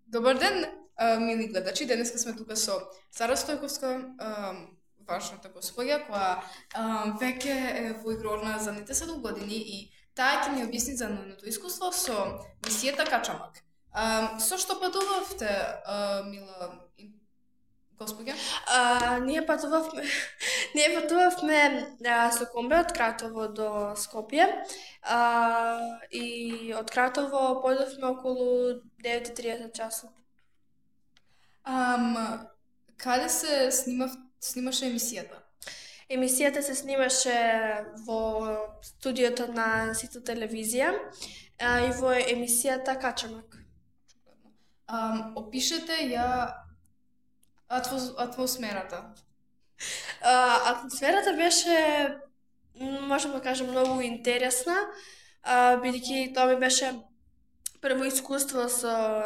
Добар ден, мили гледачи. Денеска сме тука со Сара Стојковска, важната госпоѓа, која веќе е во игрорна задните 7 години и таа ќе ни објасни за нивното искуство со мисијата Качамак. Со што патувавте, мила госпоѓа? Ние патувавме со комбе од Кратово до Скопје. И од Кратово појдовме околу 9:30 часот. Каде се снимаше емисијата? Емисијата се снимаше во студиото на Сито телевизија и во емисијата Качамак. Опишете ја атмосферата. Атмосферата беше, можам да кажам, многу интересна, бидејќи тоа ми беше прво искуство со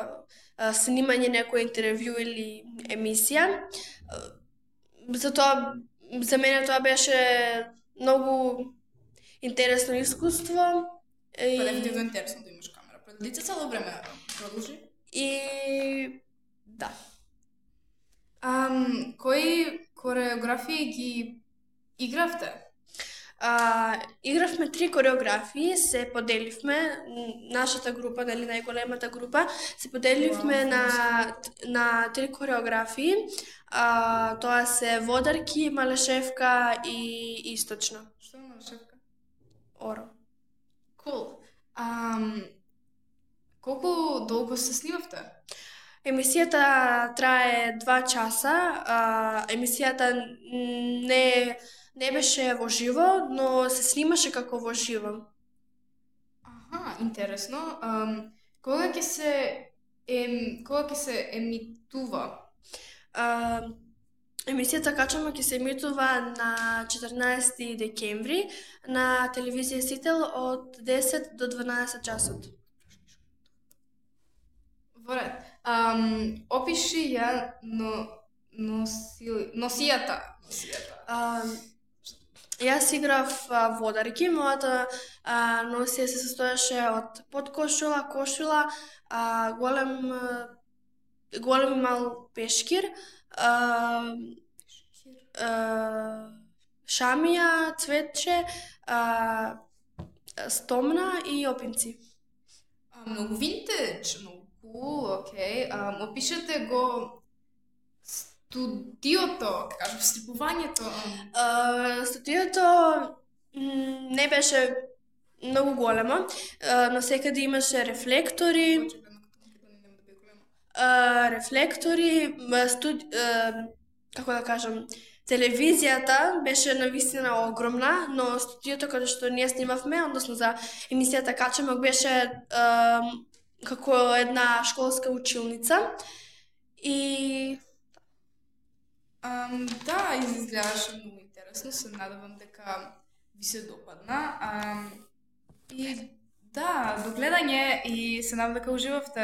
снимање некој интервју или емисија. Затоа за мене тоа беше многу интересно искуство. Па дефинитивно интересно да имаш камера пред лице цело време. Продолжи. И да. Кои кореографии ги игравте? Игравме 3 кореографии, се поделивме, нашата група, дали најголемата група, се поделивме на 3 кореографии. Тоа се Водарки, Малешевка и Источна. Што е Малешевка? Оро. Cool. Колку долго се снимавте? Емисијата трае 2 часа. Емисијата не беше во живо, но се снимаше како во живо. Аха, интересно. Кога ќе се емитува? Емисијата Качамак ќе се емитува на 14 декември на телевизија Сител од 10 до 12 часот. Во ред. Опиши ја носијата. Јас играв Водарки, мојата носија се состоеше од подкошула, кошула, голем и мал пешкир, шамија, цветче, стомна и опинци. Многу винтедж, многу cool, окей. Опишете го студиото, кажам, слипувањето. Студиото не беше многу големо, но секаде имаше рефлектори, како да кажам, телевизијата беше навистина огромна, но студиото каде што ние снимавме, односно за емисијата Качамак, беше како една школска училница. И да, изгледаше многу интересно, се надевам дека ви се допадна. И да, до гледање и се надевам дека уживавте.